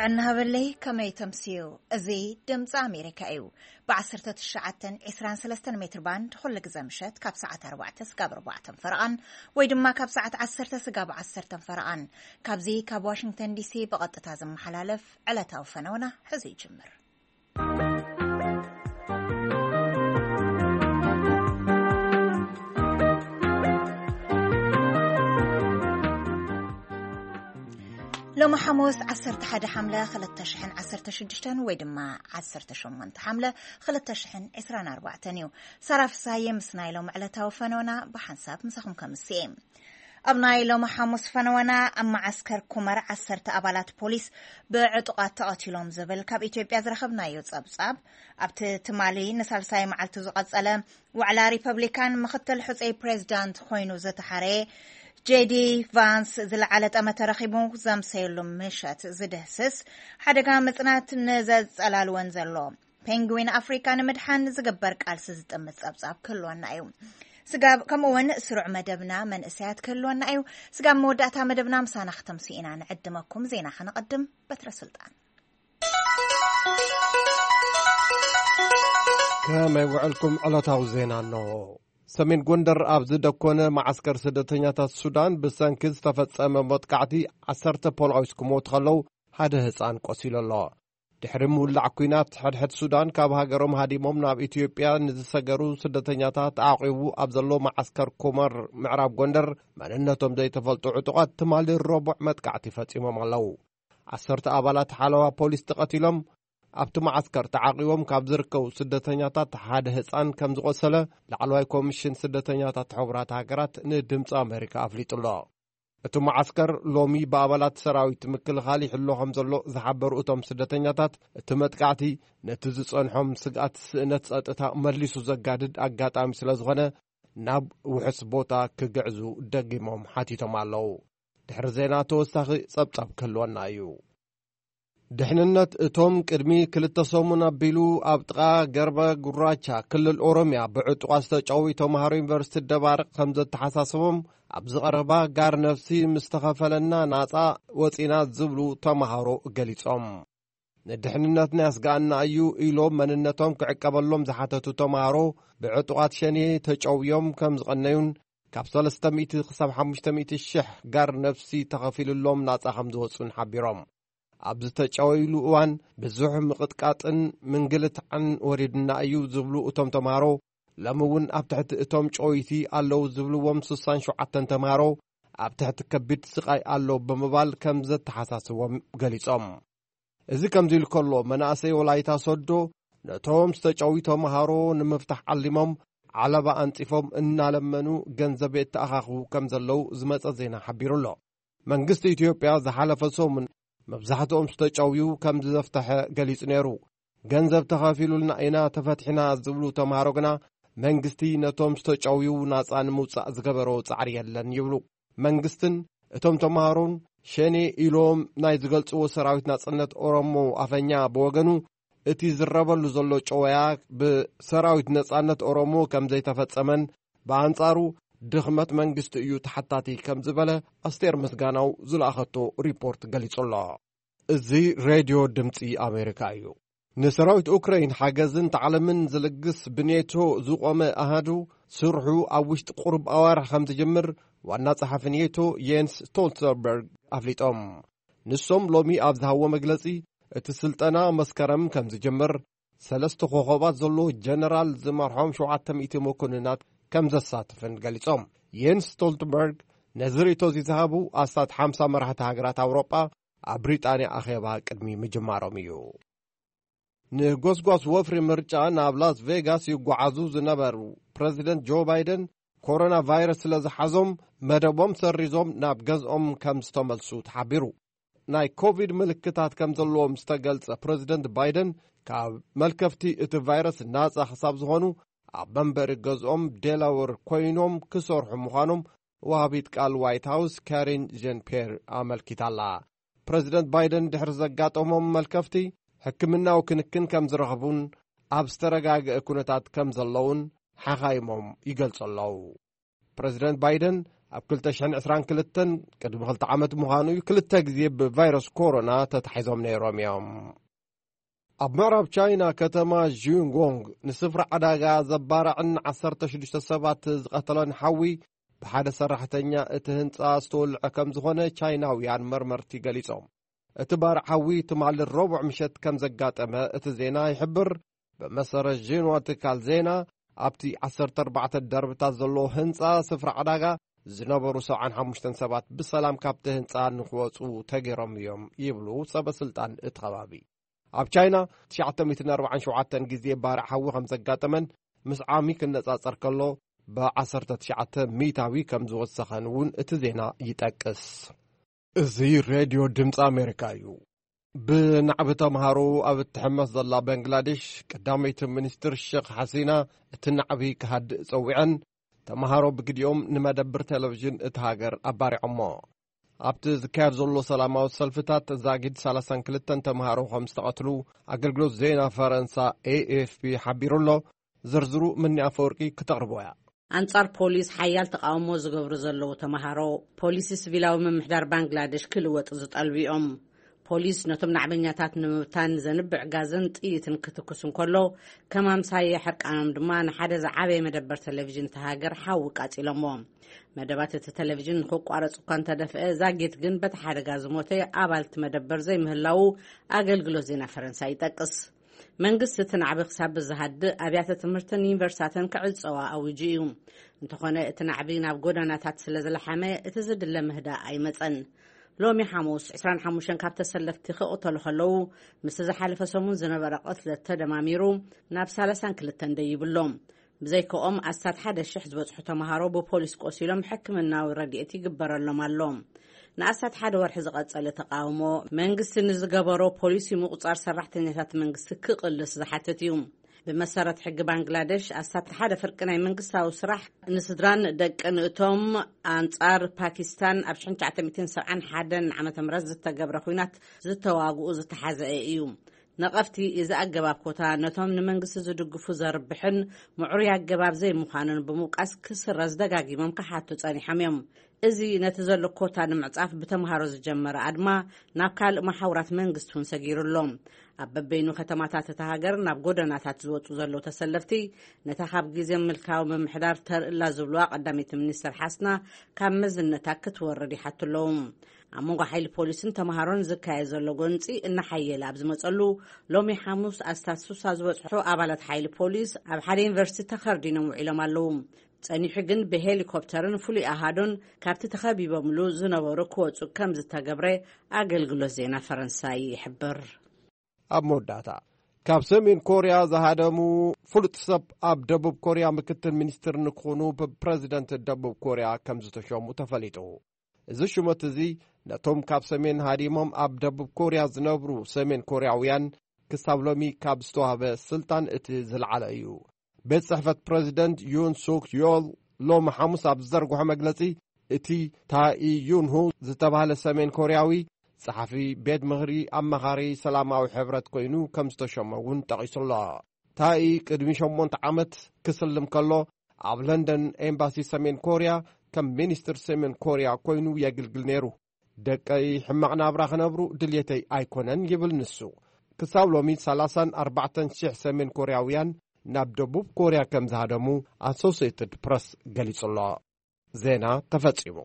እናሃበለይ ከመይ ተምስዩ? እዚ ድምፂ ኣሜሪካ እዩ። ብ1923 ሜትር ባንድ ኩሉ ግዜ ምሸት ካብ ሰዓት ኣርባዕተ ስጋብ ኣርባዕተን ፈረቓን፣ ወይ ድማ ካብ ሰዓት ዓሰርተ ስጋብ ዓሰርተን ፈረቓን፣ ካብዚ ካብ ዋሽንግተን ዲሲ ብቐጥታ ዝመሓላለፍ ዕለታዊ ፈነውና ሕዚ ይጅምር። ሎሚ ሓሙስ ዓሰርተ ሓደ ሓምለ ክልተ ሽሕን ዓሰርተ ሽዱሽተን ወይ ድማ ዓሰርተ ሸሞንተ ሓምለ ክልተ ሽሕን ዕስራን ኣርባዕተን እዩ። ሳራ ፍሳየ ምስ ናይ ሎሚ ዕለታዊ ፈነውና ብሓንሳብ ምሳኹም ከምስየ። ኣብ ናይ ሎሚ ሓሙስ ፈነወና ኣብ መዓስከር ኩመር ዓሰርተ ኣባላት ፖሊስ ብዕጡቓት ተቐቲሎም ዝብል ካብ ኢትዮጵያ ዝረኸብናዮ ጸብጻብ፣ ኣብቲ ትማሊ ንሳልሳይ መዓልቱ ዝቐጸለ ዋዕላ ሪፐብሊካን ምኽትል ሕጹይ ፕሬዚዳንት ኮይኑ ዝተሓረየ ጄዲ ቫንስ ዝለዓለ ጠመተ ረኺቡ ዘምሰየሉ ምሸት ዝድህስስ ሓደጋ ምጽናት ንዘጸላልወን ዘሎ ፔንግዊን ኣፍሪካ ንምድሓን ዝግበር ቃልሲ ዝጥምት ጸብጻብ ክህልወና እዩ። ስጋብ ከምኡ እውን ስሩዕ መደብና መንእሰያት ክህልወና እዩ። ስጋብ መወዳእታ መደብና ምሳና ክተምስኡ ኢና ንዕድመኩም። ዜና ከነቐድም። በትረ ስልጣን። ከመይ ውዕልኩም? ዕለታዊ ዜና ኣለዎ። ሰሜን ጎንደር ኣብ ዝደኮነ መዓስከር ስደተኛታት ሱዳን ብሰንኪ ዝተፈጸመ መጥቃዕቲ ዓሰርተ ፖሊስ ክሞቱ ከለዉ ሓደ ህፃን ቆሲሉ ኣሎ። ድሕሪ ምውላዕ ኲናት ሕድሕድ ሱዳን ካብ ሃገሮም ሃዲሞም ናብ ኢትዮጵያ ንዝሰገሩ ስደተኛታት ተዓቂቡ ኣብ ዘሎ መዓስከር ኮመር ምዕራብ ጎንደር መንነቶም ዘይተፈልጡ ዕጡቓት ትማሊ ረቡዕ መጥቃዕቲ ፈጺሞም ኣለዉ። ዓሰርተ ኣባላት ሓለዋ ፖሊስ ተቐቲሎም። ኣብቲ መዓስከር ተዓቂቦም ካብ ዝርከቡ ስደተኛታት ሓደ ህፃን ከም ዝቖሰለ ላዕለዋይ ኮሚሽን ስደተኛታት ሕቡራት ሃገራት ንድምፂ ኣሜሪካ ኣፍሊጡ ኣሎ። እቲ መዓስከር ሎሚ ብኣባላት ሰራዊት ምክልኻል ይሕሎ ከም ዘሎ ዝሓበሩ እቶም ስደተኛታት፣ እቲ መጥቃዕቲ ነቲ ዝጸንሖም ስግኣት ስእነት ጸጥታ መሊሱ ዘጋድድ ኣጋጣሚ ስለ ዝኾነ ናብ ውሑስ ቦታ ክግዕዙ ደጊሞም ሓቲቶም ኣለዉ። ድሕሪ ዜና ተወሳኺ ጸብጻብ ክህልወና እዩ። ድሕንነት እቶም ቅድሚ ክልተ ሰሙን ኣቢሉ ኣብ ጥቓ ገርበ ጉራቻ ክልል ኦሮምያ ብዕጡቓት ዝተጨውዩ ተምሃሮ ዩኒቨርሲቲ ደባርቕ ከም ዘተሓሳስቦም ኣብዚ ቀረባ ጋር ነፍሲ ምስ ተኸፈለና ናጻ ወጺና ዝብሉ ተምሃሮ ገሊጾም። ንድሕንነትና ያስግኣና እዩ ኢሎም መንነቶም ክዕቀበሎም ዝሓተቱ ተምሃሮ ብዕጡቓት ሸኔ ተጨውዮም ከም ዝቐነዩን ካብ ሰለስተ ሚእቲ ክሳብ ሓሙሽተ ሚእቲ ሽሕ ጋር ነፍሲ ተኸፊሉሎም ናጻ ከም ዝወጹን ሓቢሮም። ኣብ ዝተጨወይሉ እዋን ብዙሕ ምቕጥቃጥን ምንግልታዕን ወሪድና እዩ ዝብሉ እቶም ተምሃሮ፣ ሎሚ እውን ኣብ ትሕቲ እቶም ጨወይቲ ኣለዉ ዝብልዎም ስሳን ሸውዓተን ተምሃሮ ኣብ ትሕቲ ከቢድ ስቓይ ኣሎ ብምባል ከም ዘተሓሳስቦም ገሊጾም። እዚ ከምዚ ኢሉ ከሎ፣ መናእሰይ ወላይታ ሶዶ ነቶም ዝተጨውዩ ተምሃሮ ንምፍታሕ ዓሊሞም ዓለባ ኣንጺፎም እናለመኑ ገንዘብ የተኣኻኽቡ ከም ዘለዉ ዝመጸ ዜና ሓቢሩ ኣሎ። መንግስቲ ኢትዮጵያ ዝሓለፈ ሰሙን መብዛሕትኦም ዝተጨውዩ ከም ዘፍተሐ ገሊጹ ነይሩ። ገንዘብ ተኸፊሉልና ኢና ተፈቲሕና ዝብሉ ተምሃሮ ግና መንግስቲ ነቶም ዝተጨውዩ ናጻ ንምውጻእ ዝገበሮ ጻዕሪ የለን ይብሉ። መንግስትን እቶም ተምሃሮን ሸኔ ኢሎም ናይ ዝገልጽዎ ሰራዊት ናጽነት ኦሮሞ ኣፈኛ ብወገኑ እቲ ዝረበሉ ዘሎ ጨወያ ብሰራዊት ነጻነት ኦሮሞ ከም ዘይተፈጸመን ብኣንጻሩ ድኽመት መንግስቲ እዩ ተሓታቲ ከም ዝበለ ኣስቴር ምስጋናው ዝለኣኸቶ ሪፖርት ገሊጹ ኣሎ። እዚ ሬድዮ ድምጺ ኣሜሪካ እዩ። ንሰራዊት ኡክራይን ሓገዝን ታዕልምን ዝልግስ ብኔቶ ዝቖመ ኣሃዱ ስርሑ ኣብ ውሽጢ ቁሩብ ኣዋርሕ ከም ዝጅምር ዋና ጸሓፊ ኔቶ የንስ ስቶልተንበርግ ኣፍሊጦም። ንሶም ሎሚ ኣብ ዝሃብዎ መግለጺ፣ እቲ ስልጠና መስከረም ከም ዝጅምር፣ ሰለስተ ኮኾባት ዘለዎ ጀነራል ዝመርሖም ሸውዓተ ሚእቲ መኮንናት ከም ዘሳትፍን ገሊጾም። የንስ ስቶልተንበርግ ነዚ ርእይቶ እዚ ዝሃቡ ኣስታት ሓምሳ መራሕቲ ሃገራት ኣውሮጳ ኣብ ብሪጣንያ ኣኼባ ቅድሚ ምጅማሮም እዩ። ንጎስጓስ ወፍሪ ምርጫ ናብ ላስ ቬጋስ ይጓዓዙ ዝነበሩ ፕረዚደንት ጆ ባይደን፣ ኮሮና ቫይረስ ስለ ዝሓዞም መደቦም ሰሪዞም ናብ ገዝኦም ከም ዝተመልሱ ተሓቢሩ። ናይ ኮቪድ ምልክታት ከም ዘለዎም ዝተገልጸ ፕረዚደንት ባይደን፣ ካብ መልከፍቲ እቲ ቫይረስ ናጻ ክሳብ ዝኾኑ ኣብ መንበሪ ገዝኦም ዴላወር ኮይኖም ክሰርሑ ምዃኖም ወሃቢት ቃል ዋይት ሃውስ ካሪን ጀን ፒየር ኣመልኪታላ። ፕረዚደንት ባይደን ድሕሪ ዘጋጠሞም መልከፍቲ ሕክምናዊ ክንክን ከም ዝረኽቡን ኣብ ዝተረጋግአ ኩነታት ከም ዘለውን ሓኻይሞም ይገልጹ ኣለዉ። ፕረዚደንት ባይደን ኣብ ክልተ ሽሕን ዕስራን ክልተን፣ ቅድሚ ክልተ ዓመት ምዃኑ እዩ፣ ክልተ ግዜ ብቫይረስ ኮሮና ተታሒዞም ነይሮም እዮም። ኣብ ምዕራብ ቻይና ከተማ ዥንጎንግ ንስፍራ ዕዳጋ ዘባርዕን ዓሰርተ ሽዱሽተ ሰባት ዝቐተለን ሓዊ ብሓደ ሰራሕተኛ እቲ ህንጻ ዝተወልዐ ከም ዝኾነ ቻይናውያን መርመርቲ ገሊጾም። እቲ ባርዕ ሓዊ ትማሊ ረቡዕ ምሸት ከም ዘጋጠመ እቲ ዜና ይሕብር። ብመሰረት ዥንዋ ትካል ዜና፣ ኣብቲ ዓሰርተ ኣርባዕተ ደርብታት ዘለዎ ህንጻ ስፍራ ዕዳጋ ዝነበሩ ሰብዓን ሓሙሽተን ሰባት ብሰላም ካብቲ ህንጻ ንክወጹ ተገይሮም እዮም ይብሉ ሰበ ስልጣን እቲ ከባቢ። ኣብ ቻይና ትሽዓተ ሚእትን ኣርባዓን ሸውዓተን ግዜ ባርዕ ሓዊ ከም ዘጋጠመን ምስ ዓሚ ክነጻጸር ከሎ ብዓሰርተ ትሽዓተ ሚእታዊ ከም ዝወሰኸን እውን እቲ ዜና ይጠቅስ። እዚ ሬድዮ ድምፂ ኣሜሪካ እዩ። ብናዕቢ ተምሃሮ ኣብ እትሕመስ ዘላ ባንግላዴሽ፣ ቀዳመይቲ ሚኒስትር ሼክ ሓሲና እቲ ናዕቢ ክሃድእ ጸዊዐን፣ ተምሃሮ ብግዲኦም ንመደብር ቴሌቪዥን እቲ ሃገር ኣባሪዖሞ። ኣብቲ ዝካየድ ዘሎ ሰላማዊ ሰልፍታት ዛጊድ ሰላሳን ክልተን ተምሃሮ ከም ዝተቐትሉ ኣገልግሎት ዜና ፈረንሳ ኤኤፍፒ ሓቢሩ ኣሎ። ዝርዝሩ ምኒ ኣፈወርቂ ክተቕርቦ እያ። ኣንጻር ፖሊስ ሓያል ተቃውሞ ዝገብሩ ዘለዉ ተምሃሮ፣ ፖሊሲ ሲቪላዊ ምምሕዳር ባንግላዴሽ ክልወጥ ዝጠልቡ እዮም። ፖሊስ ነቶም ናዕበኛታት ንምብታን ዘንብዕ ጋዝን ጥይትን ክትኩስ እንከሎ፣ ከም ኣምሳየ ሕርቃኖም ድማ ንሓደ ዝዓበየ መደበር ቴሌቪዥን እቲ ሃገር ሓዊ ቃጺሎሞ። መደባት እቲ ቴሌቪዥን ንክቋረጽ እኳ እንተደፍአ፣ ዛጊት ግን በቲ ሓደጋ ዝሞተ ኣባል እቲ መደበር ዘይምህላዉ ኣገልግሎት ዜና ፈረንሳ ይጠቅስ። መንግስቲ እቲ ናዕቢ ክሳብ ዝሃድእ ኣብያተ ትምህርትን ዩኒቨርሲታትን ክዕጸዋ ኣዊጁ እዩ። እንተኾነ እቲ ናዕቢ ናብ ጎደናታት ስለ ዝለሓመ እቲ ዝድለ ምህዳእ ኣይመጸን። ሎሚ ሓሙስ ዕስራን ሓሙሽተን ካብ ተሰለፍቲ ክቕተሉ ከለዉ ምስቲ ዝሓለፈ ሰሙን ዝነበረ ቅትለት ተደማሚሩ ናብ ሰላሳን ክልተን ደይብሎም። ብዘይከኦም ኣስታት ሓደ ሽሕ ዝበጽሑ ተምሃሮ ብፖሊስ ቆሲሎም ሕክምናዊ ረድኤት ይግበረሎም ኣሎ። ንኣስታት ሓደ ወርሒ ዝቐጸለ ተቃውሞ መንግስቲ ንዝገበሮ ፖሊሲ ምቁጻር ሰራሕተኛታት መንግስቲ ክቕልስ ዝሓትት እዩ። ብመሰረት ሕጊ ባንግላደሽ ኣስታት ሓደ ፍርቂ ናይ መንግስታዊ ስራሕ ንስድራን ደቅን እቶም ኣንጻር ፓኪስታን ኣብ ሽሕን ትሽዓተ ሚእትን ሰብዓን ሓደን ዓመተ ምህረት ዝተገብረ ኲናት ዝተዋግኡ ዝተሓዘአ እዩ። ነቐፍቲ እዚ ኣገባብ ኮታ ነቶም ንመንግስቲ ዝድግፉ ዘርብሕን ምዕሩይ ኣገባብ ዘይምዃኑን ብምውቃስ ክስረዝ ደጋጊሞም ክሓቱ ጸኒሖም እዮም። እዚ ነቲ ዘሎ ኮታ ንምዕጻፍ ብተምሃሮ ዝጀመረ ኣድማ ናብ ካልእ መሓውራት መንግስቲ እውን ሰጊሩ ኣሎ። ኣብ በበይኑ ከተማታት እታ ሃገር ናብ ጎደናታት ዝወጹ ዘለዉ ተሰለፍቲ ነታ ካብ ግዜ ምልካዊ ምምሕዳር ተርእላ ዝብልዋ ቀዳመይቲ ሚኒስተር ሓስና ካብ መዝነታ ክትወርድ ይሓቱ ኣለዉ። ኣብ መንጎ ሓይሊ ፖሊስን ተምሃሮን ዝካየድ ዘሎ ጎንጺ እናሓየለ ኣብ ዝመጸሉ፣ ሎሚ ሓሙስ ኣስታት ሱሳ ዝበጽሑ ኣባላት ሓይሊ ፖሊስ ኣብ ሓደ ዩኒቨርሲቲ ተኸርዲኖም ውዒሎም ኣለዉ። ጸኒሑ ግን ብሄሊኮፕተርን ፍሉይ ኣሃዱን ካብቲ ተኸቢቦምሉ ዝነበሩ ክወጹ ከም ዝተገብረ ኣገልግሎት ዜና ፈረንሳይ ይሕብር። ኣብ መወዳእታ፣ ካብ ሰሜን ኮርያ ዝሃደሙ ፍሉጥ ሰብ ኣብ ደቡብ ኮርያ ምክትል ሚኒስትር ንክኾኑ ብፕረዚደንት ደቡብ ኮርያ ከም ዝተሸሙ ተፈሊጡ። እዚ ሽመት እዚ ነቶም ካብ ሰሜን ሃዲሞም ኣብ ደቡብ ኮርያ ዝነብሩ ሰሜን ኮርያውያን ክሳብ ሎሚ ካብ ዝተዋህበ ስልጣን እቲ ዝለዓለ እዩ። ቤት ጽሕፈት ፕረዚደንት ዩን ሱክ ዮል ሎሚ ሓሙስ ኣብ ዝዘርግሖ መግለጺ፣ እቲ ታኢ ዩንሁ ዝተባህለ ሰሜን ኮርያዊ ጸሓፊ ቤት ምኽሪ ኣማኻሪ ሰላማዊ ሕብረት ኮይኑ ከም ዝተሸመ እውን ጠቒሱ ኣሎ። ታኢ ቅድሚ ሸሞንተ ዓመት ክስልም ከሎ ኣብ ለንደን ኤምባሲ ሰሜን ኮርያ ከም ሚኒስትር ሰሜን ኮርያ ኮይኑ የግልግል ነይሩ። ደቀይ ሕማቕ ናብራ ክነብሩ ድልየተይ ኣይኮነን ይብል ንሱ። ክሳብ ሎሚ ሰላሳን ኣርባዕተን ሽሕ ሰሜን ኮርያውያን ናብ ደቡብ ኮርያ ከም ዝሃደሙ ኣሶሲየትድ ፕረስ ገሊጹ ኣሎ። ዜና ተፈጺሙ።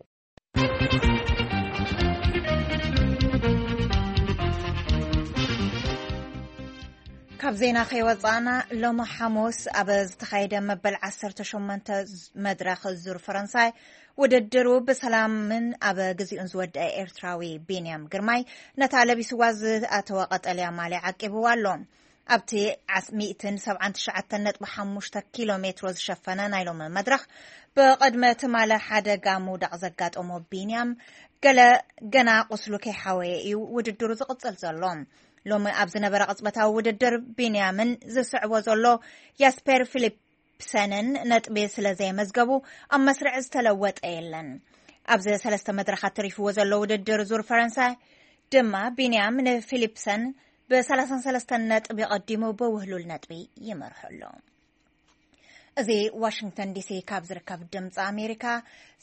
ካብ ዜና ከይወጻእና፣ ሎሚ ሓሙስ ኣብ ዝተኻየደ መበል ዓሰርተ ሸሞንተ መድረኽ ዙር ፈረንሳይ ውድድሩ ብሰላምን ኣብ ግዚኡን ዝወደአ ኤርትራዊ ቢንያም ግርማይ ነታ ለቢስዋ ዝኣተወ ቀጠልያ ማልያ ዓቂብዋ ኣሎ። ኣብቲ ዓስ-፣ ሚእትን ሰብዓን ትሽዓተን ነጥቢ ሓሙሽተ ኪሎ ሜትሮ ዝሸፈነ ናይ ሎሚ መድረኽ፣ ብቕድሚ ትማሊ ሓደጋ ምውዳቕ ዘጋጠሞ ቢንያም፣ ገለ ገና ቁስሉ ከይሓወየ እዩ ውድድሩ ዝቕጽል ዘሎ። ሎሚ ኣብ ዝነበረ ቅጽበታዊ ውድድር፣ ቢንያምን ዝስዕቦ ዘሎ ያስፐር ፊሊፕሰንን ነጥቢ ስለ ዘየመዝገቡ፣ ኣብ መስርዕ ዝተለወጠ የለን። ኣብዚ ሰለስተ መድረኻት ተሪፍዎ ዘሎ ውድድር ዙር ፈረንሳይ ድማ፣ ቢንያም ንፊሊፕሰን ብሰላሳን ሰለስተን ነጥቢ ቀዲሙ ብውህሉል ነጥቢ ይመርሖ ኣሎ። እዚ ዋሽንግተን ዲሲ ካብ ዝርከብ ድምፂ ኣሜሪካ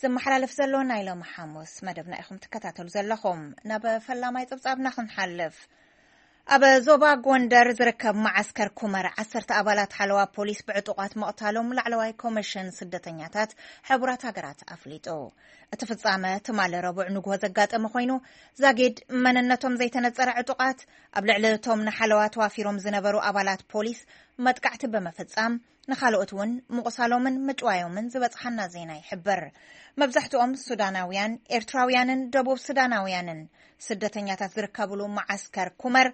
ዝመሓላለፍ ዘሎ ናይ ሎሚ ሓሙስ መደብና ኢኹም ትከታተሉ ዘለኹም። ናብ ፈላማይ ፀብፃብና ክንሓልፍ። ኣብ ዞባ ጎንደር ዝርከብ መዓስከር ኩመር ዓሰርተ ኣባላት ሓለዋ ፖሊስ ብዕጡቓት ምቕታሎም ላዕለዋይ ኮሚሽን ስደተኛታት ሕቡራት ሃገራት ኣፍሊጡ። እቲ ፍጻመ ትማሊ ረቡዕ ንግሆ ዘጋጠመ ኮይኑ፣ ዛጊድ መንነቶም ዘይተነጸረ ዕጡቓት ኣብ ልዕሊ እቶም ንሓለዋ ተዋፊሮም ዝነበሩ ኣባላት ፖሊስ መጥቃዕቲ ብምፍጻም፣ ንኻልኦት እውን ምቑሳሎምን ምጭዋዮምን ዝበጽሓና ዜና ይሕብር። መብዛሕትኦም ሱዳናውያን፣ ኤርትራውያንን ደቡብ ሱዳናውያንን ስደተኛታት ዝርከብሉ መዓስከር ኩመር፣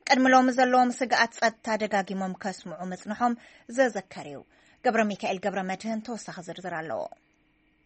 ቅድሚ ሎሚ ዘለዎም ስግኣት ጸጥታ ደጋጊሞም ከስምዑ ምጽንሖም ዘዘከር እዩ። ገብረ ሚካኤል ገብረ መድህን ተወሳኺ ዝርዝር ኣለዎ።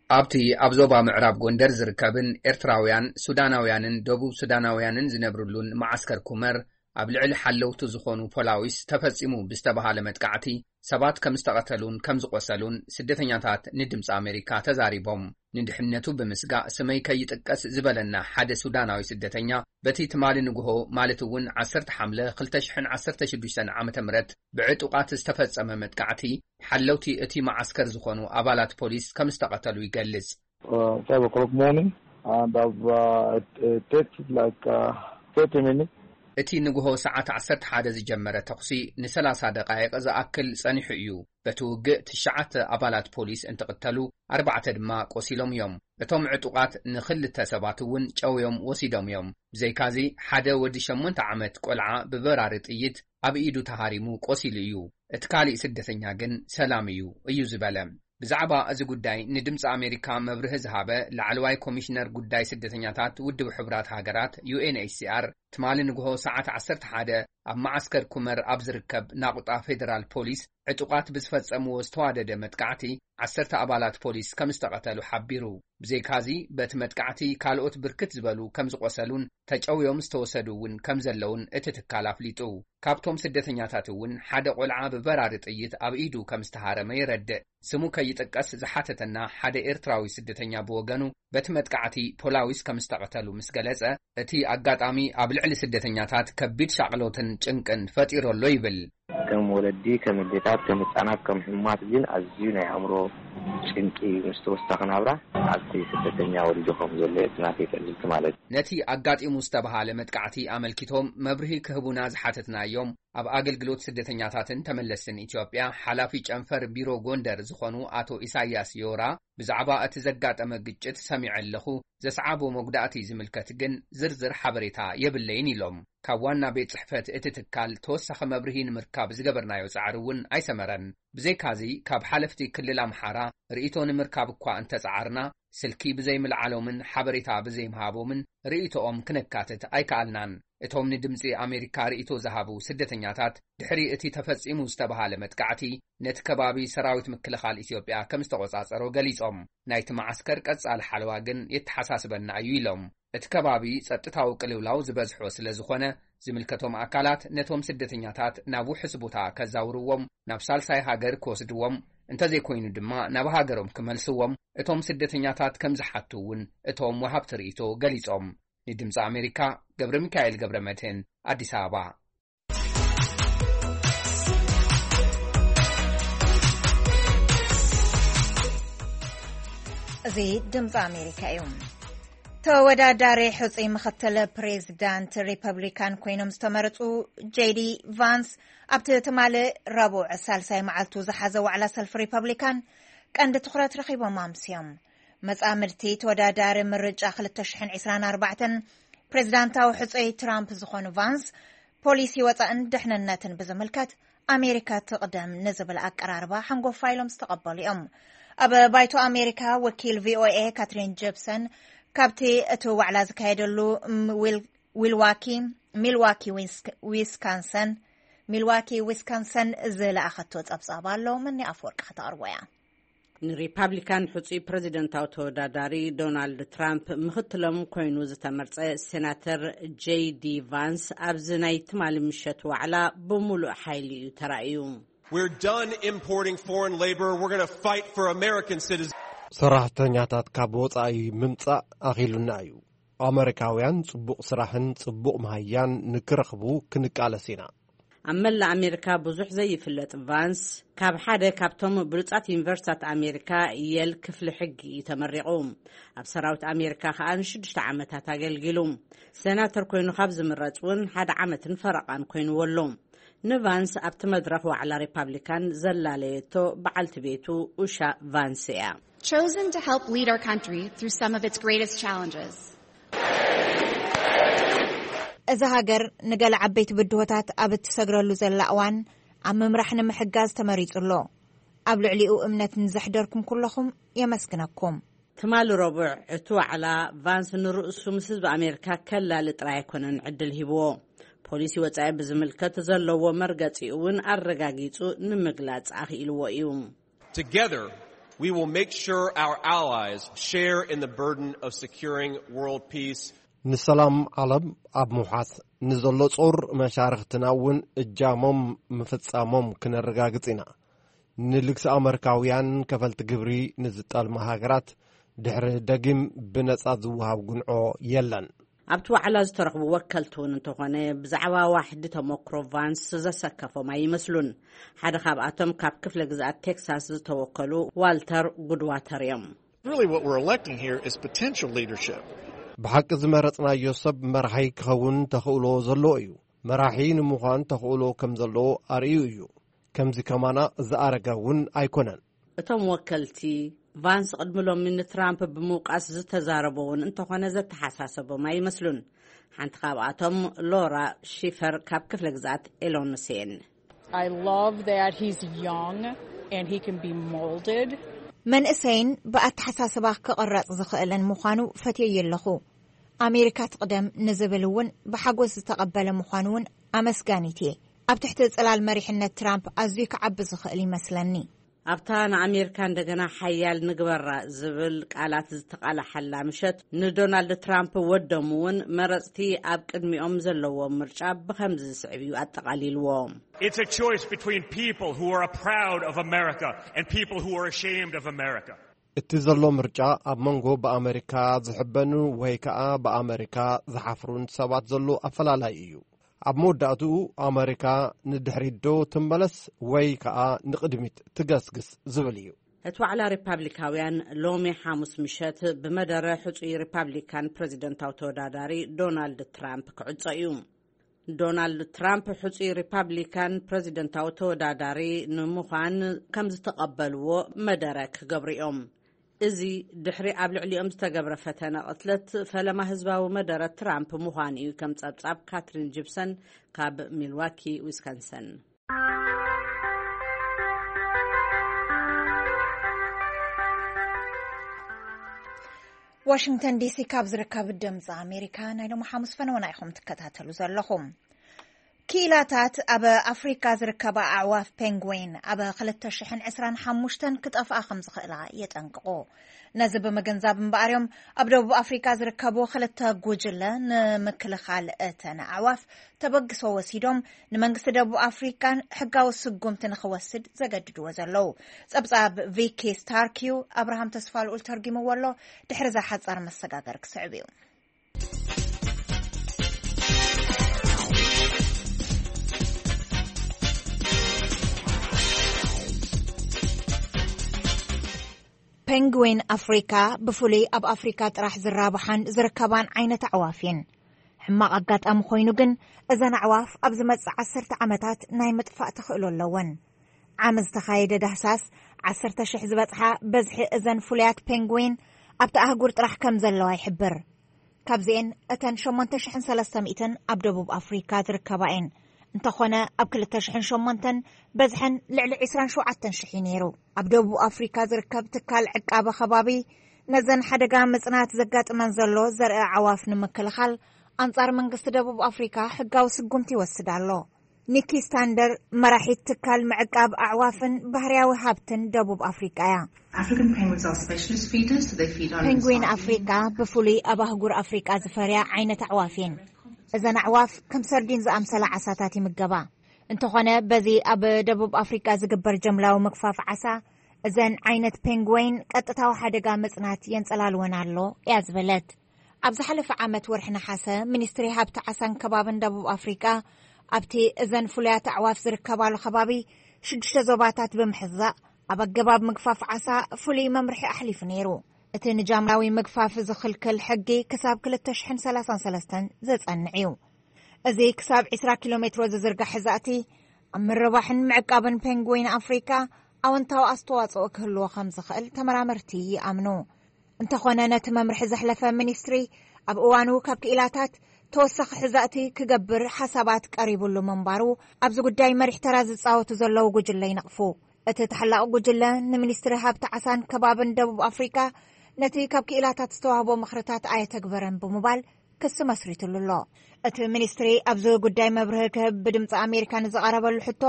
ኣብቲ ኣብ ዞባ ምዕራብ ጎንደር ዝርከብን ኤርትራውያን፣ ሱዳናውያንን ደቡብ ሱዳናውያንን ዝነብርሉን መዓስከር ኩመር፣ ኣብ ልዕሊ ሓለውቱ ዝኾኑ ፖላዊስ ተፈጺሙ ብዝተባሃለ መጥቃዕቲ ሰባት ከም ዝተቐተሉን ከም ዝቖሰሉን ስደተኛታት ንድምፂ ኣሜሪካ ተዛሪቦም። ንድሕነቱ ብምስጋእ ስመይ ከይጥቀስ ዝበለና ሓደ ሱዳናዊ ስደተኛ፣ በቲ ትማሊ ንግሆ፣ ማለት እውን ዓሰርተ ሓምለ ክልተ ሽሕን ዓሰርተ ሽዱሽተን ዓመተ ምህረት ብዕጡቓት ዝተፈጸመ መጥቃዕቲ፣ ሓለውቲ እቲ መዓስከር ዝኾኑ ኣባላት ፖሊስ ከም ዝተቐተሉ ይገልጽ። Uh, five o'clock morning, and I've uh, it, it takes like uh, thirty minutes. እቲ ንግሆ ሰዓት ዓሰርተ ሓደ ዝጀመረ ተኹሲ ንሰላሳ ደቓይቕ ዝኣክል ጸኒሑ እዩ። በቲ ውግእ ትሽዓተ ኣባላት ፖሊስ እንትቕተሉ፣ ኣርባዕተ ድማ ቆሲሎም እዮም። እቶም ዕጡቓት ንኽልተ ሰባት እውን ጨውዮም ወሲዶም እዮም። ብዘይካዚ፣ ሓደ ወዲ ሸሞንተ ዓመት ቆልዓ ብበራሪ ጥይት ኣብ ኢዱ ተሃሪሙ ቆሲሉ እዩ። እቲ ካሊእ ስደተኛ ግን ሰላም እዩ፣ እዩ ዝበለ። ብዛዕባ እዚ ጉዳይ ንድምፂ ኣሜሪካ መብርሂ ዝሃበ ላዕለዋይ ኮሚሽነር ጉዳይ ስደተኛታት ውድብ ሕቡራት ሃገራት፣ ዩ ኤን ኤች ሲ ኣር፣ ትማሊ ንግሆ ሰዓት ዓሰርተ ሓደ ኣብ መዓስከር ኩመር ኣብ ዝርከብ ናቑጣ ፌደራል ፖሊስ ዕጡቓት ብዝፈጸምዎ ዝተዋደደ መጥቃዕቲ ዓሰርተ ኣባላት ፖሊስ ከም ዝተቐተሉ ሓቢሩ። ብዘይካዚ፣ በቲ መጥቃዕቲ ካልኦት ብርክት ዝበሉ ከም ዝቖሰሉን ተጨውዮም ዝተወሰዱ እውን ከም ዘለውን እቲ ትካል ኣፍሊጡ። ካብቶም ስደተኛታት እውን ሓደ ቆልዓ ብበራሪ ጥይት ኣብ ኢዱ ከም ዝተሃረመ የረድእ። ስሙ ከይጥቀስ ዝሓተተና ሓደ ኤርትራዊ ስደተኛ ብወገኑ፣ በቲ መጥቃዕቲ ፖላዊስ ከም ዝተቐተሉ ምስ ገለጸ፣ እቲ ኣጋጣሚ ኣብ ልዕሊ ስደተኛታት ከቢድ ሻቕሎትን ጭንቅን ፈጢሩ ኣሎ ይብል። ከም ወለዲ፣ ከም ኣዴታት፣ ከም ህጻናት፣ ከም ሕሙማት ግን ኣዝዩ ናይ ኣእምሮ ጭንቂ ምስ ተወሳኺ ናብራ ኣብቲ ስደተኛ ወሪዱ ከም ዘሎ እዩ እቲ ናተይ ትዕዝብቲ ማለት እዩ። ነቲ ኣጋጢሙ ዝተባሃለ መጥቃዕቲ ኣመልኪቶም መብርሂ ክህቡና ዝሓተትናዮም ኣብ ኣገልግሎት ስደተኛታትን ተመለስትን ኢትዮጵያ ሓላፊ ጨንፈር ቢሮ ጎንደር ዝኾኑ ኣቶ ኢሳያስ ዮራ፣ ብዛዕባ እቲ ዘጋጠመ ግጭት ሰሚዐ ኣለኹ፣ ዘስዓቦ መጉዳእቲ ዝምልከት ግን ዝርዝር ሓበሬታ የብለይን ኢሎም። ካብ ዋና ቤት ጽሕፈት እቲ ትካል ተወሳኺ መብርሂ ንምርካብ ዝገበርናዮ ጻዕሪ እውን ኣይሰመረን። ብዘይካዚ፣ ካብ ሓለፍቲ ክልል ኣምሓራ ርእይቶ ንምርካብ እኳ እንተጸዓርና፣ ስልኪ ብዘይምልዓሎምን ሓበሬታ ብዘይምሃቦምን ርእይቶኦም ክነካትት ኣይከኣልናን። እቶም ንድምጺ ኣሜሪካ ርእይቶ ዝሃቡ ስደተኛታት፣ ድሕሪ እቲ ተፈጺሙ ዝተባሃለ መጥቃዕቲ፣ ነቲ ከባቢ ሰራዊት ምክልኻል ኢትዮጵያ ከም ዝተቖጻጸሮ ገሊጾም። ናይቲ መዓስከር ቀጻሊ ሓለዋ ግን የተሓሳስበና እዩ ኢሎም። እቲ ከባቢ ጸጥታዊ ቅልውላው ዝበዝሖ ስለ ዝኾነ፣ ዝምልከቶም ኣካላት ነቶም ስደተኛታት ናብ ውሑስ ቦታ ከዛውርዎም፣ ናብ ሳልሳይ ሃገር ክወስድዎም፣ እንተዘይኮይኑ ድማ ናብ ሃገሮም ክመልስዎም እቶም ስደተኛታት ከም ዝሓቱ እውን እቶም ወሃብቲ ርእይቶ ገሊጾም። ንድምፂ ኣሜሪካ፣ ገብረ ሚካኤል ገብረ መድህን፣ ኣዲስ ኣበባ። እዚ ድምፂ ኣሜሪካ እዩ። ተወዳዳሪ ሕፁይ ምክትል ፕሬዚዳንት ሪፐብሊካን ኮይኖም ዝተመረፁ ጄዲ ቫንስ፣ ኣብቲ ትማሊ ረቡዕ ሳልሳይ መዓልቱ ዝሓዘ ዋዕላ ሰልፊ ሪፐብሊካን ቀንዲ ትኹረት ረኺቦም ኣምስዮም። መጻምድቲ ተወዳዳሪ ምርጫ ክልተ ሽሕን ዕስራን ኣርባዕተን ፕሬዚዳንታዊ ሕፁይ ትራምፕ ዝኾኑ ቫንስ፣ ፖሊሲ ወጻእን ድሕንነትን ብዝምልከት ኣሜሪካ ትቕደም ንዝብል ኣቀራርባ ሓንጎፋ ኢሎም ዝተቐበሉ እዮም። ኣብ ባይቶ ኣሜሪካ፣ ወኪል ቪ ኦ ኤ ካትሪን ጀፕሰን ካብቲ እቲ ዋዕላ ዝካየደሉ ም-፣ ዊል-፣ ዊልዋኪ፣ ሚልዋኪ ዊስክ-፣ ዊስካንሰን፣ ሚልዋኪ ዊስካንሰን ዝለኣኸቶ ጸብጻብ ኣሎ። መኒ ኣፈወርቂ ከተቕርቦ እያ። ንሪፓብሊካን ሕጹይ ፕረዚደንታዊ ተወዳዳሪ ዶናልድ ትራምፕ ምኽትሎም ኮይኑ ዝተመርጸ ሴናተር ጄይ ዲ ቫንስ፣ ኣብዚ ናይ ትማሊ ምሸት ዋዕላ ብምሉእ ሓይሊ እዩ ተራእዩ። We're done importing foreign labor. We're gonna fight for American citizens. ሰራሕተኛታት ካብ ወጻኢ ምምጻእ ኣኺሉና እዩ። ኣመሪካውያን ጽቡቕ ስራሕን ጽቡቕ መሃያን ንክረኽቡ ክንቃለስ ኢና። ኣብ መላእ ኣሜሪካ ብዙሕ ዘይፍለጥ ቫንስ፣ ካብ ሓደ ካብቶም ብሉጻት ዩኒቨርሲታት ኣሜሪካ፣ የል ክፍሊ ሕጊ እዩ ተመሪቑ። ኣብ ሰራዊት ኣሜሪካ ከኣ ንሽዱሽተ ዓመታት ኣገልጊሉ። ሴናተር ኮይኑ ካብ ዝምረጽ እውን ሓደ ዓመትን ፈረቓን ኮይንዎ ኣሎ። ንቫንስ ኣብቲ መድረኽ ዋዕላ ሪፓብሊካን ዘላለየቶ በዓልቲ ቤቱ ኡሻ ቫንስ እያ። Chosen to help lead our country through some of its greatest challenges. እዛ ሃገር ንገለ ዓበይቲ ብድሆታት ኣብ እትሰግረሉ ዘላ እዋን፣ ኣብ ምምራሕ ንምሕጋዝ ተመሪጹ ኣሎ። ኣብ ልዕሊኡ እምነት ንዘሕደርኩም ኩለኹም የመስግነኩም። ትማሊ ረቡዕ እቲ ዋዕላ፣ ቫንስ ንርእሱ ምስ ህዝቢ ኣሜሪካ ከላሊ ጥራይ ኣይኮነን ዕድል ሂብዎ። ፖሊሲ ወጻኢ ብዝምልከት ዘለዎ መርገጺኡ እውን ኣረጋጊጹ ንምግላጽ ኣኽኢልዎ እዩ። Together, we will make sure our allies share in the burden of securing world peace. ንሰላም ዓለም ኣብ ምውሓስ ንዘሎ ጾር መሻርኽትና እውን እጃሞም ምፍጻሞም ክነረጋግጽ ኢና። ንልግሲ ኣመሪካውያን ከፈልቲ ግብሪ ንዝጠልማ ሃገራት ድሕሪ ደጊም ብነጻ ዝወሃብ ጉንዖ የለን። ኣብቲ ዋዕላ ዝተረኽቡ ወከልቲ እውን እንተኾነ፣ ብዛዕባ ዋሕዲ ተመክሮ ቫንስ ዘሰከፎም ኣይመስሉን። ሓደ ካብኣቶም ካብ ክፍለ ግዝኣት ቴክሳስ ዝተወከሉ ዋልተር ጉድዋተር እዮም። Really, what we're electing here is potential leadership. ብሓቂ ዝመረጽናዮ ሰብ መራሒ ክኸውን ተኽእሎ ዘለዎ እዩ። መራሒ ንምዃን ተኽእሎ ከም ዘለዎ ኣርእዩ እዩ። ከምዚ ከማና ዝኣረገ እውን ኣይኮነን። እቶም ወከልቲ፣ ቫንስ ቅድሚ ሎሚ ንትራምፕ ብምውቃስ ዝተዛረቦ እውን እንተኾነ፣ ዘተሓሳሰቦም ኣይመስሉን። ሓንቲ ካብኣቶም ሎራ ሺፈር ካብ ክፍለ ግዝኣት ኢሎኖሴን። I love that he's young and he can be molded. መንእሰይን ብኣተሓሳስባ ክቕረጽ ዝኽእልን ምዃኑ ፈትየዮ ኣለኹ። ኣሜሪካ ትቕደም ንዝብል እውን ብሓጎስ ዝተቐበለ ምዃኑ እውን ኣመስጋኒት እየ። ኣብ ትሕቲ ጽላል መሪሕነት ትራምፕ ኣዝዩ ክዓቢ ዝኽእል ይመስለኒ። ኣብታ ንኣሜሪካ እንደገና ሓያል ንግበራ ዝብል ቃላት ዝተቓላሓላ ምሸት፣ ንዶናልድ ትራምፕ ወዶም እውን መረጽቲ ኣብ ቅድሚኦም ዘለዎም ምርጫ ብኸምዚ ዝስዕብ እዩ ኣጠቓሊልዎ። It's a choice between people who are proud of America and people who are ashamed of America. እቲ ዘሎ ምርጫ ኣብ መንጎ ብኣመሪካ ዝሕበኑ ወይ ከኣ ብኣመሪካ ዝሓፍሩን ሰባት ዘሎ ኣፈላላይ እዩ። ኣብ መወዳእትኡ ኣመሪካ ንድሕሪት ዶ ትመለስ ወይ ከኣ ንቕድሚት ትገስግስ ዝብል እዩ። እቲ ዋዕላ ሪፓብሊካውያን ሎሚ ሓሙስ ምሸት ብመደረ ሕጹይ ሪፓብሊካን ፕረዚደንታዊ ተወዳዳሪ ዶናልድ ትራምፕ ክዕጾ እዩ። ዶናልድ ትራምፕ ሕጹይ ሪፓብሊካን ፕረዚደንታዊ ተወዳዳሪ ንምዃን ከም ዝተቐበልዎ መደረ ክገብሩ እዮም። እዚ ድሕሪ ኣብ ልዕሊኦም ዝተገብረ ፈተነ ቅትለት ፈለማ ህዝባዊ መደረ ትራምፕ ምዃን እዩ፣ ከም ጸብጻብ ካትሪን ጂፕሰን ካብ ሚልዋኪ ዊስካንሰን። ዋሽንግተን ዲሲ ካብ ዝርከብ ድምፂ ኣሜሪካ ናይ ሎሚ ሓሙስ ፈነወና ኢኹም ትከታተሉ ዘለኹም። ክኢላታት ኣብ ኣፍሪካ ዝርከባ ኣዕዋፍ ፔንግዊን ኣብ ክልተ ሽሕን ዕስራን ሓሙሽተን ክጠፍኣ ከም ዝኽእላ የጠንቅቑ። ነዚ ብምግንዛብ እምበኣር እዮም ኣብ ደቡብ ኣፍሪካ ዝርከቡ ክልተ ጉጅለ ንምክልኻል እተን ኣዕዋፍ ተበግሶ ወሲዶም ንመንግስቲ ደቡብ ኣፍሪካን ሕጋዊ ስጉምቲ ንኽወስድ ዘገድድዎ ዘለዉ። ጸብጻብ ቪኪ ስታርክ እዩ። ኣብርሃም ተስፋልኡል ተርጊምዎ ኣሎ። ድሕሪ እዛ ሓጻር መሰጋገር ክስዕብ እዩ። ፔንግዊን ኣፍሪካ ብፍሉይ ኣብ ኣፍሪካ ጥራሕ ዝራብሓን ዝርከባን ዓይነት ኣዕዋፍ እየን። ሕማቕ ኣጋጣሚ ኮይኑ ግን እዘን ኣዕዋፍ ኣብ ዝመጽእ ዓሰርተ ዓመታት ናይ ምጥፋእ ተኽእሎ ኣለወን። ዓሚ ዝተኻየደ ዳህሳስ ዓሰርተ ሽሕ ዝበጽሓ በዝሒ እዘን ፍሉያት ፔንግዊን ኣብቲ ኣህጉር ጥራሕ ከም ዘለዋ ይሕብር። ካብዚኤን እተን ሸሞንተ ሽሕን ሰለስተ ሚእትን ኣብ ደቡብ ኣፍሪካ ዝርከባ እየን። እንተኾነ ኣብ ክልተ ሽሕን ሸሞንተን በዝሐን ልዕሊ ዕስራን ሸውዓተን ሽሕ እዩ ነይሩ። ኣብ ደቡብ ኣፍሪካ ዝርከብ ትካል ዕቃበ ከባቢ ነዘን ሓደጋ ምጽናት ዘጋጥመን ዘሎ ዘርኢ ኣዕዋፍ ንምክልኻል ኣንጻር መንግስቲ ደቡብ ኣፍሪካ ሕጋዊ ስጉምቲ ይወስድ ኣሎ። ኒኪ ስታንደር መራሒት ትካል ምዕቃብ ኣዕዋፍን ባህርያዊ ሃብትን ደቡብ ኣፍሪቃ እያ። African penguins are specialist feeders, so they feed on ፔንግዊን ኣፍሪቃ ብፍሉይ ኣብ ኣህጉር ኣፍሪቃ ዝፈርያ ዓይነት ኣዕዋፍ እየን። እዘን ኣዕዋፍ ከም ሰርዲን ዝኣምሰላ ዓሳታት ይምገባ። እንተኾነ በዚ ኣብ ደቡብ ኣፍሪቃ ዝግበር ጀምላዊ ምግፋፍ ዓሳ እዘን ዓይነት ፔንግወይን ቀጥታዊ ሓደጋ ምጽናት የንጸላልወን ኣሎ እያ ዝበለት። ኣብ ዝሓለፈ ዓመት ወርሒ ነሓሰ ሚኒስትሪ ሃብቲ ዓሳን ከባብን ደቡብ ኣፍሪቃ ኣብቲ እዘን ፍሉያት ኣዕዋፍ ዝርከባሉ ከባቢ ሽዱሽተ ዞባታት ብምሕዛእ፣ ኣብ ኣገባብ ምግፋፍ ዓሳ ፍሉይ መምርሒ ኣሕሊፉ ነይሩ። እቲ ንጃምላዊ ምግፋፍ ዝኽልክል ሕጊ ክሳብ ክልተ ሽሕን ሰላሳን ሰለስተን ዘጸንዕ እዩ። እዚ ክሳብ ዕስራ ኪሎ ሜትሮ ዝዝርጋሕ ሕዛእቲ፣ ኣብ ምርባሕን ምዕቃብን ፔንግዊን ኣፍሪካ ኣወንታዊ ኣስተዋጽኦ ክህልዎ ከም ዝኽእል ተመራመርቲ ይኣምኑ። እንተኾነ፣ ነቲ መምርሒ ዘሕለፈ ሚኒስትሪ፣ ኣብ እዋኑ ካብ ክኢላታት ተወሳኺ ሕዛእቲ ክገብር ሓሳባት ቀሪቡሉ ምንባሩ፣ ኣብዚ ጉዳይ መሪሕ ተራ ዝጻወቱ ዘለዉ ጉጅለ ይነቕፉ። እቲ ተሓላቒ ጉጅለ፣ ንሚኒስትሪ ሃብቲ ዓሳን ከባብን ደቡብ ኣፍሪካ ነቲ ካብ ክኢላታት ዝተዋህቦ ምኽርታት ኣየተግበረን ብምባል ክሲ መስሪትሉ ኣሎ። እቲ ሚኒስትሪ ኣብዚ ጉዳይ መብርሂ ክህብ ብድምፂ ኣሜሪካ ንዝቐረበሉ ሕቶ፣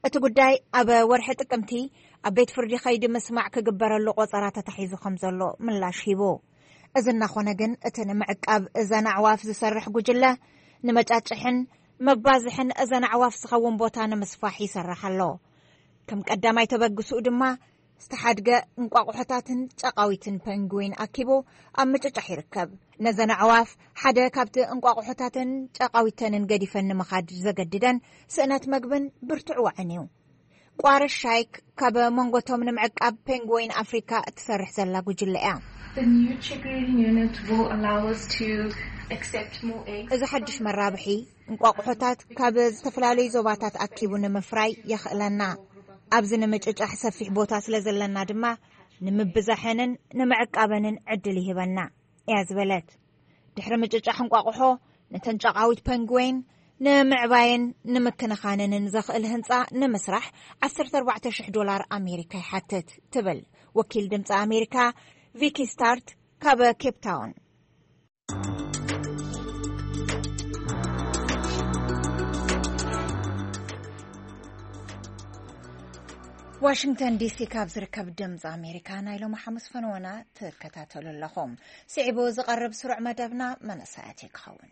እቲ ጉዳይ ኣብ ወርሒ ጥቅምቲ ኣብ ቤት ፍርዲ ከይዲ ምስማዕ ክግበረሉ ቆጸራ ተታሒዙ ከም ዘሎ ምላሽ ሂቡ። እዚ እናኾነ ግን፣ እቲ ንምዕቃብ እዘን ኣዕዋፍ ዝሰርሕ ጉጅለ፣ ንመጫጭሕን መባዝሕን እዘን ኣዕዋፍ ዝኸውን ቦታ ንምስፋሕ ይሰርሕ ኣሎ። ከም ቀዳማይ ተበግስኡ ድማ፣ ዝተሓድገ እንቋቑሖታትን ጨቓዊትን ፔንግዊን ኣኪቡ ኣብ ምጭጫሕ ይርከብ። ነዘን ኣዕዋፍ ሓደ ካብቲ እንቋቑሖታተን ጨቓዊተንን ገዲፈን ንምኻድ ዘገድደን ስእነት መግብን ብርቱዕ ዋዕን እዩ። ቋረሽ ሻይክ ካብ መንጎቶም ንምዕቃብ ፔንግዊን ኣፍሪካ እትሰርሕ ዘላ ጉጅለ እያ። The new triggering unit will allow us to accept more eggs. እዚ ሓድሽ መራብሒ፣ እንቋቑሖታት ካብ ዝተፈላለዩ ዞባታት ኣኪቡ ንምፍራይ የኽእለና። ኣብዚ ንምጭጫሕ ሰፊሕ ቦታ ስለ ዘለና ድማ፣ ንምብዛሐንን ንምዕቃበንን ዕድል ይህበና እያ ዝበለት። ድሕሪ ምጭጫሕ እንቋቑሖ፣ ነተን ጨቓዊት ፔንግዊን ንምዕባይን ንምክንኻንንን ዘኽእል ህንጻ ንምስራሕ ዓሰርተ ኣርባዕተ ሽሕ ዶላር ኣሜሪካ ይሓትት ትብል ወኪል ድምፂ ኣሜሪካ ቪኪ ስታርት ካብ ኬፕ ታውን። ዋሽንግተን ዲሲ ካብ ዝርከብ ድምፂ ኣሜሪካ ናይ ሎሚ ሓሙስ ፈነወና ትከታተሉ ኣለኹም። ስዒቡ ዝቐርብ ስሩዕ መደብና መንእሰያት እዩ ክኸውን።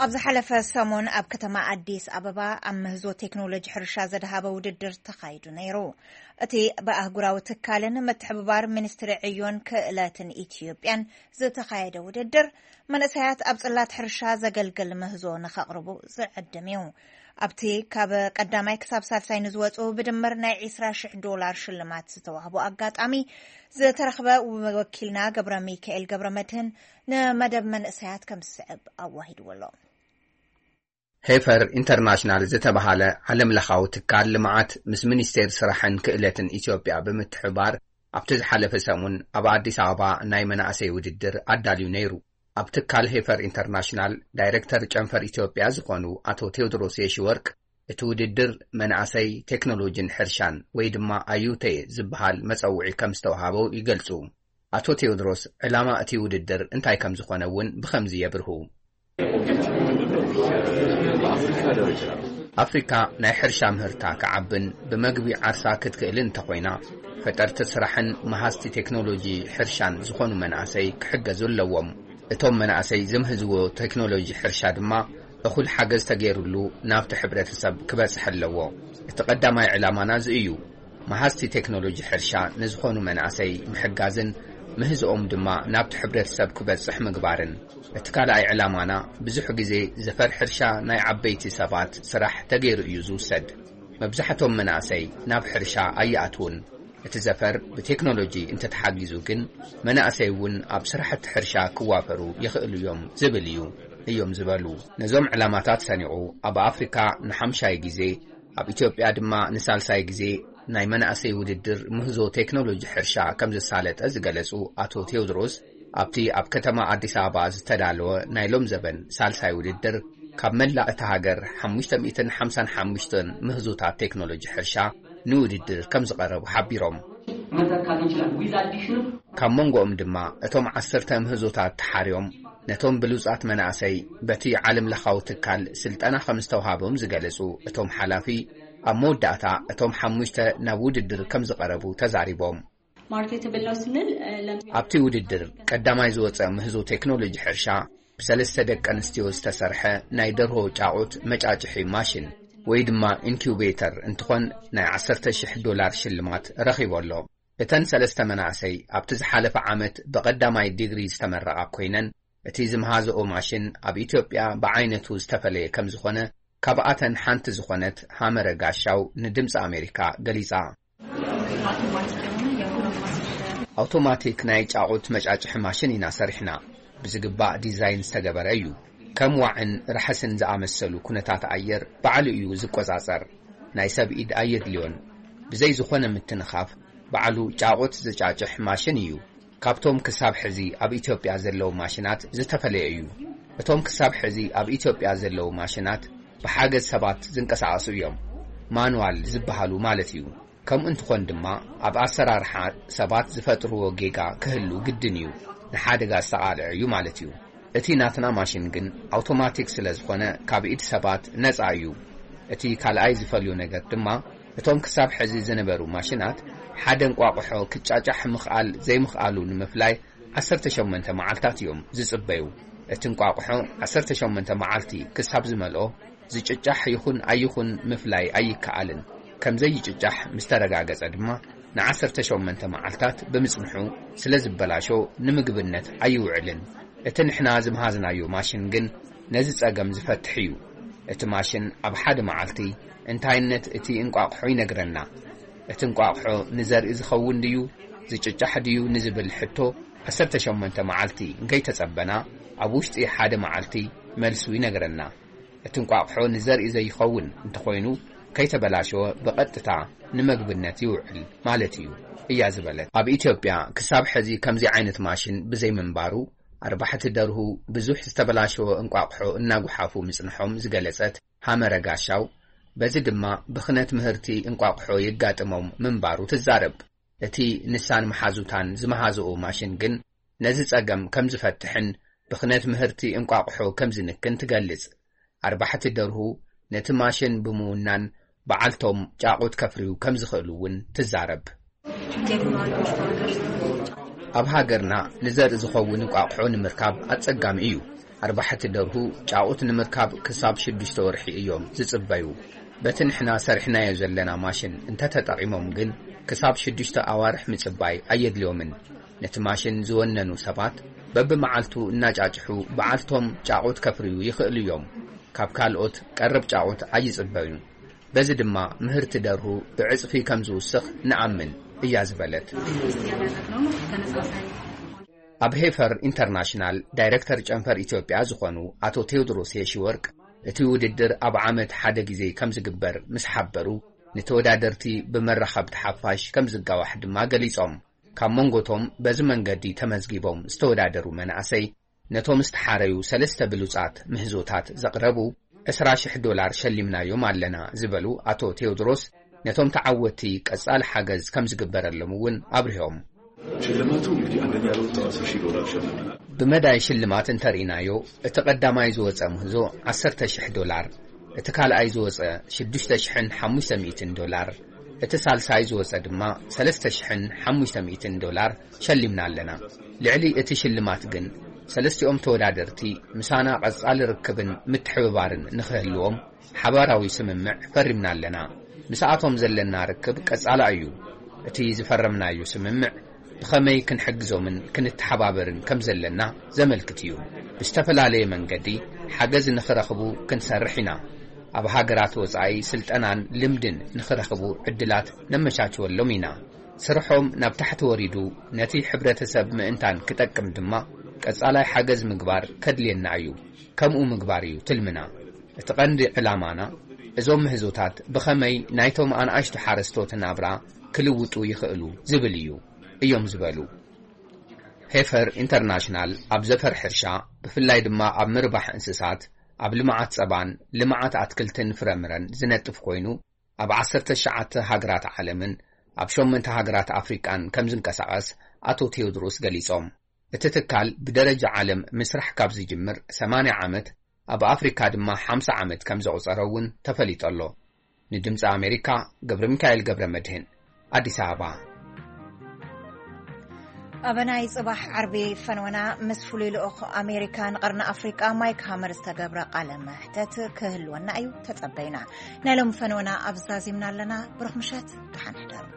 ኣብ ዝሓለፈ ሰሙን ኣብ ከተማ ኣዲስ ኣበባ ኣብ ምህዞ ቴክኖሎጂ ሕርሻ ዘድሃበ ውድድር ተኻይዱ ነይሩ። እቲ ብኣህጉራዊ ትካልን ምትሕብባር ሚኒስትሪ ዕዮን ክእለትን ኢትዮጵያን ዝተኻየደ ውድድር፣ መንእሰያት ኣብ ጽላት ሕርሻ ዘገልግል ምህዞ ንኸቕርቡ ዝዕድም እዩ። ኣብቲ ካብ ቀዳማይ ክሳብ ሳልሳይ ንዝወጹ ብድምር ናይ ዕስራ ሽሕ ዶላር ሽልማት ዝተዋህቦ ኣጋጣሚ ዝተረኽበ ወኪልና ገብረ ሚካኤል ገብረ መድህን ንመደብ መንእሰያት ከም ዝስዕብ ኣዋሂድዎ ኣሎ። ሄፈር ኢንተርናሽናል ዝተባሃለ ዓለም ለኻዊ ትካል ልምዓት ምስ ሚኒስቴር ስራሕን ክእለትን ኢትዮጵያ ብምትሕባር ኣብቲ ዝሓለፈ ሰሙን ኣብ ኣዲስ ኣበባ ናይ መናእሰይ ውድድር ኣዳልዩ ነይሩ። ኣብ ትካል ሄፈር ኢንተርናሽናል ዳይሬክተር ጨንፈር ኢትዮጵያ ዝኾኑ ኣቶ ቴዎድሮስ የሺወርቅ፣ እቲ ውድድር መናእሰይ ቴክኖሎጂን ሕርሻን ወይ ድማ ኣዩቴ ዝበሃል መጸውዒ ከም ዝተውሃቦ ይገልጹ። ኣቶ ቴዎድሮስ፣ ዕላማ እቲ ውድድር እንታይ ከም ዝኾነ እውን ብኸምዚ የብርሁ። ኣፍሪካ ናይ ሕርሻ ምህርታ ክዓብን ብመግቢ ዓርሳ ክትክእልን እንተኾይና፣ ፈጠርቲ ስራሕን መሃዝቲ ቴክኖሎጂ ሕርሻን ዝኾኑ መናእሰይ ክሕገዙ ኣለዎም። እቶም መናእሰይ ዝምህዝዎ ቴክኖሎጂ ሕርሻ ድማ እኹል ሓገዝ ተገይሩሉ ናብቲ ሕብረተሰብ ክበጽሕ ኣለዎ። እቲ ቀዳማይ ዕላማና እዚ እዩ። መሃዝቲ ቴክኖሎጂ ሕርሻ ንዝኾኑ መናእሰይ ምሕጋዝን ምህዝኦም ድማ ናብቲ ሕብረተሰብ ክበጽሕ ምግባርን። እቲ ካልኣይ ዕላማና ብዙሕ ግዜ ዘፈር ሕርሻ ናይ ዓበይቲ ሰባት ስራሕ ተገይሩ እዩ ዝውሰድ። መብዛሕቶም መናእሰይ ናብ ሕርሻ ኣይኣትዉን። እቲ ዘፈር ብቴክኖሎጂ እንተተሓጊዙ ግን መናእሰይ እውን ኣብ ስራሕቲ ሕርሻ ክዋፈሩ ይኽእሉ እዮም ዝብል እዩ እዮም ዝበሉ። ነዞም ዕላማታት ሰኒቑ ኣብ ኣፍሪካ ንሓምሻይ ግዜ ኣብ ኢትዮጵያ ድማ ንሳልሳይ ግዜ ናይ መናእሰይ ውድድር ምህዞ ቴክኖሎጂ ሕርሻ ከም ዘሳለጠ ዝገለጹ ኣቶ ቴዎድሮስ፣ ኣብቲ ኣብ ከተማ ኣዲስ ኣበባ ዝተዳለወ ናይ ሎም ዘበን ሳልሳይ ውድድር ካብ መላእ እታ ሃገር ሓሙሽተ ሚእትን ሓምሳን ሓሙሽተን ምህዞታት ቴክኖሎጂ ሕርሻ ንውድድር ከም ዝቐረቡ ሓቢሮም። መተካት ይችላል። With addition of ካብ መንጎኦም ድማ እቶም ዓሰርተ ምህዞታት ተሓርዮም ነቶም ብሉጻት መናእሰይ በቲ ዓለም ለኻዊ ትካል ስልጠና ከም ዝተውሃቦም ዝገለጹ እቶም ሓላፊ፣ ኣብ መወዳእታ እቶም ሓሙሽተ ናብ ውድድር ከም ዝቐረቡ ተዛሪቦም። ማርኬትብል ነው ስንል እ፣ ለም- ኣብቲ ውድድር ቀዳማይ ዝወጸ ምህዞ ቴክኖሎጂ ሕርሻ ብሰለስተ ደቂ ኣንስትዮ ዝተሰርሐ ናይ ደርሆ ጫቑት መጫጭሒ ማሽን ወይ ድማ ኢንኩቤተር እንትኾን ናይ ዓሰርተ ሽሕ ዶላር ሽልማት ረኺቡ ኣሎ። እተን ሰለስተ መናእሰይ ኣብቲ ዝሓለፈ ዓመት ብቐዳማይ ዲግሪ ዝተመረቓ ኮይነን፣ እቲ ዝመሃዝኦ ማሽን ኣብ ኢትዮጵያ ብዓይነቱ ዝተፈለየ ከም ዝኾነ ካብኣተን ሓንቲ ዝኾነት ሃመረ ጋሻው ንድምፂ ኣሜሪካ ገሊጻ። ኣውቶማቲክ ናይ ጫቑት መጫጭሒ ማሽን ኢና ሰሪሕና። ብዝግባእ ዲዛይን ዝተገበረ እዩ። ከም ዋዕን ራሕስን ዝኣመሰሉ ኩነታት ኣየር ባዕሉ እዩ ዝቆጻጸር። ናይ ሰብ ኢድ ኣየድልዮን። ብዘይ ዝኾነ ምትንኻፍ ባዕሉ ጫቑት ዝጫጭሕ ማሽን እዩ። ካብቶም ክሳብ ሕዚ ኣብ ኢትዮጵያ ዘለዉ ማሽናት ዝተፈለየ እዩ። እቶም ክሳብ ሕዚ ኣብ ኢትዮጵያ ዘለዉ ማሽናት ብሓገዝ ሰባት ዝንቀሳቐሱ እዮም። ማኑዋል ዝበሃሉ ማለት እዩ። ከምኡ እንትኾን ድማ ኣብ ኣሰራርሓ ሰባት ዝፈጥርዎ ጌጋ ክህሉ ግድን እዩ። ንሓደጋ ዝተቓልዐ እዩ ማለት እዩ። እቲ ናትና ማሽን ግን ኣውቶማቲክ ስለ ዝኾነ ካብ ኢድ ሰባት ነጻ እዩ። እቲ ካልኣይ ዝፈልዮ ነገር ድማ እቶም ክሳብ ሕዚ ዝነበሩ ማሽናት ሓደ እንቋቑሖ ክጫጫሕ ምኽኣል ዘይምኽኣሉ ንምፍላይ ዓሰርተ ሸሞንተ መዓልታት እዮም ዝጽበዩ። እቲ እንቋቑሖ ዓሰርተ ሸሞንተ መዓልቲ ክሳብ ዝመልኦ ዝጭጫሕ ይኹን ኣይኹን ምፍላይ ኣይከኣልን። ከም ዘይጭጫሕ ምስ ተረጋገጸ ድማ ንዓሰርተ ሸሞንተ መዓልታት ብምጽንሑ ስለ ዝበላሾ ንምግብነት ኣይውዕልን። እቲ ንሕና ዝመሃዝናዮ ማሽን ግን ነዚ ጸገም ዝፈትሕ እዩ። እቲ ማሽን ኣብ ሓደ መዓልቲ እንታይነት እቲ እንቋቑሖ ይነግረና። እቲ እንቋቑሖ ንዘርኢ ዝኸውን ድዩ፣ ዝጭጫሕ ድዩ ንዝብል ሕቶ ዓሰርተ ሸሞንተ መዓልቲ እንከይተጸበና፣ ኣብ ውሽጢ ሓደ መዓልቲ መልሱ ይነግረና። እቲ እንቋቑሖ ንዘርኢ ዘይኸውን እንተኾይኑ፣ ከይተበላሸወ ብቐጥታ ንመግብነት ይውዕል ማለት እዩ እያ ዝበለት። ኣብ ኢትዮጵያ ክሳብ ሕዚ ከምዚ ዓይነት ማሽን ብዘይምንባሩ፣ ኣርባሕቲ ደርሁ ብዙሕ ዝተበላሸወ እንቋቑሖ እናጉሓፉ ምጽንሖም ዝገለጸት ሃመረ ጋሻው፣ በዚ ድማ ብኽነት ምህርቲ እንቋቑሖ የጋጥሞም ምንባሩ ትዛረብ። እቲ ንሳን መሓዙታን ዝመሃዝኡ ማሽን ግን ነዚ ጸገም ከም ዝፈትሕን ብኽነት ምህርቲ እንቋቑሖ ከም ዝንክን ትገልጽ። ኣርባሕቲ ደርሁ ነቲ ማሽን ብምውናን በዓልቶም ጫቑት ከፍርዩ ከም ዝኽእሉ እውን ትዛረብ። ኣብ ሃገርና ንዘርኢ ዝኸውን እንቋቑሖ ንምርካብ ኣጸጋሚ እዩ። ኣርባሕቲ ደርሁ ጫቑት ንምርካብ ክሳብ ሽዱሽተ ወርሒ እዮም ዝጽበዩ። በቲ ንሕና ሰሪሕናዮ ዘለና ማሽን እንተተጠቒሞም ግን ክሳብ ሽዱሽተ ኣዋርሕ ምጽባይ ኣየድልዮምን። ነቲ ማሽን ዝወነኑ ሰባት በብመዓልቱ እናጫጭሑ በዓልቶም ጫቑት ከፍርዩ ይኽእሉ እዮም። ካብ ካልኦት ቀረብ ጫቑት ኣይጽበዩን። በዚ ድማ ምህርቲ ደርሁ ብዕጽፊ ከም ዝውስኽ ንኣምን እያ ዝበለት። ኣብ ሄፈር ኢንተርናሽናል ዳይሬክተር ጨንፈር ኢትዮጵያ ዝኾኑ ኣቶ ቴዎድሮስ የሺወርቅ፣ እቲ ውድድር ኣብ ዓመት ሓደ ግዜ ከም ዝግበር ምስ ሓበሩ፣ ንተወዳደርቲ ብመራኸብቲ ሓፋሽ ከም ዝጋዋሕ ድማ ገሊጾም። ካብ መንጎቶም በዚ መንገዲ ተመዝጊቦም ዝተወዳደሩ መናእሰይ፣ ነቶም ዝተሓረዩ ሰለስተ ብሉጻት ምህዞታት ዘቕረቡ ዕስራ ሽሕ ዶላር ሸሊምናዮም ኣለና ዝበሉ ኣቶ ቴዎድሮስ፣ ነቶም ተዓወትቲ ቀጻሊ ሓገዝ ከም ዝግበረሎም እውን ኣብሪሆም። ሽልማቱ እንግዲህ አንደኛ ለወጣው አስር ሺህ ዶላር ሸልመናል። ብመዳይ ሽልማት እንተርኢናዮ፣ እቲ ቀዳማይ ዝወጸ ምህዞ ዓሰርተ ሽሕ ዶላር፣ እቲ ካልኣይ ዝወጸ ሽዱሽተ ሽሕን ሓሙሽተ ሚእትን ዶላር፣ እቲ ሳልሳይ ዝወጸ ድማ ሰለስተ ሽሕን ሓሙሽተ ሚእትን ዶላር ሸሊምና ኣለና። ልዕሊ እቲ ሽልማት ግን፣ ሰለስቲኦም ተወዳደርቲ ምሳና ቀጻሊ ርክብን ምትሕብባርን ንኽህልዎም ሓባራዊ ስምምዕ ፈሪምና ኣለና። ምስኣቶም ዘለና ርክብ ቀጻላ እዩ። እቲ ዝፈረምናዮ ስምምዕ ብኸመይ ክንሕግዞምን ክንተሓባበርን ከም ዘለና ዘመልክት እዩ። ብዝተፈላለየ መንገዲ ሓገዝ ንኽረኽቡ ክንሰርሕ ኢና። ኣብ ሃገራት ወጻኢ ስልጠናን ልምድን ንኽረኽቡ ዕድላት ነመቻችወሎም ኢና። ስርሖም ናብ ታሕቲ ወሪዱ ነቲ ሕብረተሰብ ምእንታን ክጠቅም ድማ ቀጻላይ ሓገዝ ምግባር ከድልየና እዩ። ከምኡ ምግባር እዩ ትልምና። እቲ ቀንዲ ዕላማና እዞም ምህዞታት ብኸመይ ናይቶም ኣንኣሽቱ ሓረስቶት ናብራ ክልውጡ ይኽእሉ ዝብል እዩ እዮም ዝበሉ። ሄፈር ኢንተርናሽናል ኣብ ዘፈር ሕርሻ፣ ብፍላይ ድማ ኣብ ምርባሕ እንስሳት፣ ኣብ ልምዓት ጸባን ልምዓት ኣትክልትን ፍረምረን ዝነጥፍ ኮይኑ፣ ኣብ ዓሰርተ ትሽዓተ ሃገራት ዓለምን ኣብ ሸሞንተ ሃገራት ኣፍሪቃን ከም ዝንቀሳቐስ ኣቶ ቴዎድሮስ ገሊጾም። እቲ ትካል ብደረጃ ዓለም ምስራሕ ካብ ዝጅምር ሰማንያ ዓመት፣ ኣብ ኣፍሪካ ድማ ሓምሳ ዓመት ከም ዘቑጸረ እውን ተፈሊጡ ኣሎ። ንድምፂ ኣሜሪካ ገብረ ሚካኤል ገብረ መድህን፣ ኣዲስ ኣበባ። ኣብ ናይ ጽባሕ ዓርቢ ፈነወና ምስ ፍሉይ ልኡኽ ኣሜሪካ ንቐርኒ ኣፍሪቃ ማይክ ሃመር ዝተገብረ ቃለ መሕተት ክህልወና እዩ፣ ተጸበዩና። ናይ ሎሚ ፈነወና ኣብ ዛዚምና ኣለና። ብሩኽ ምሸት፣ ደሓን ሕደሩ።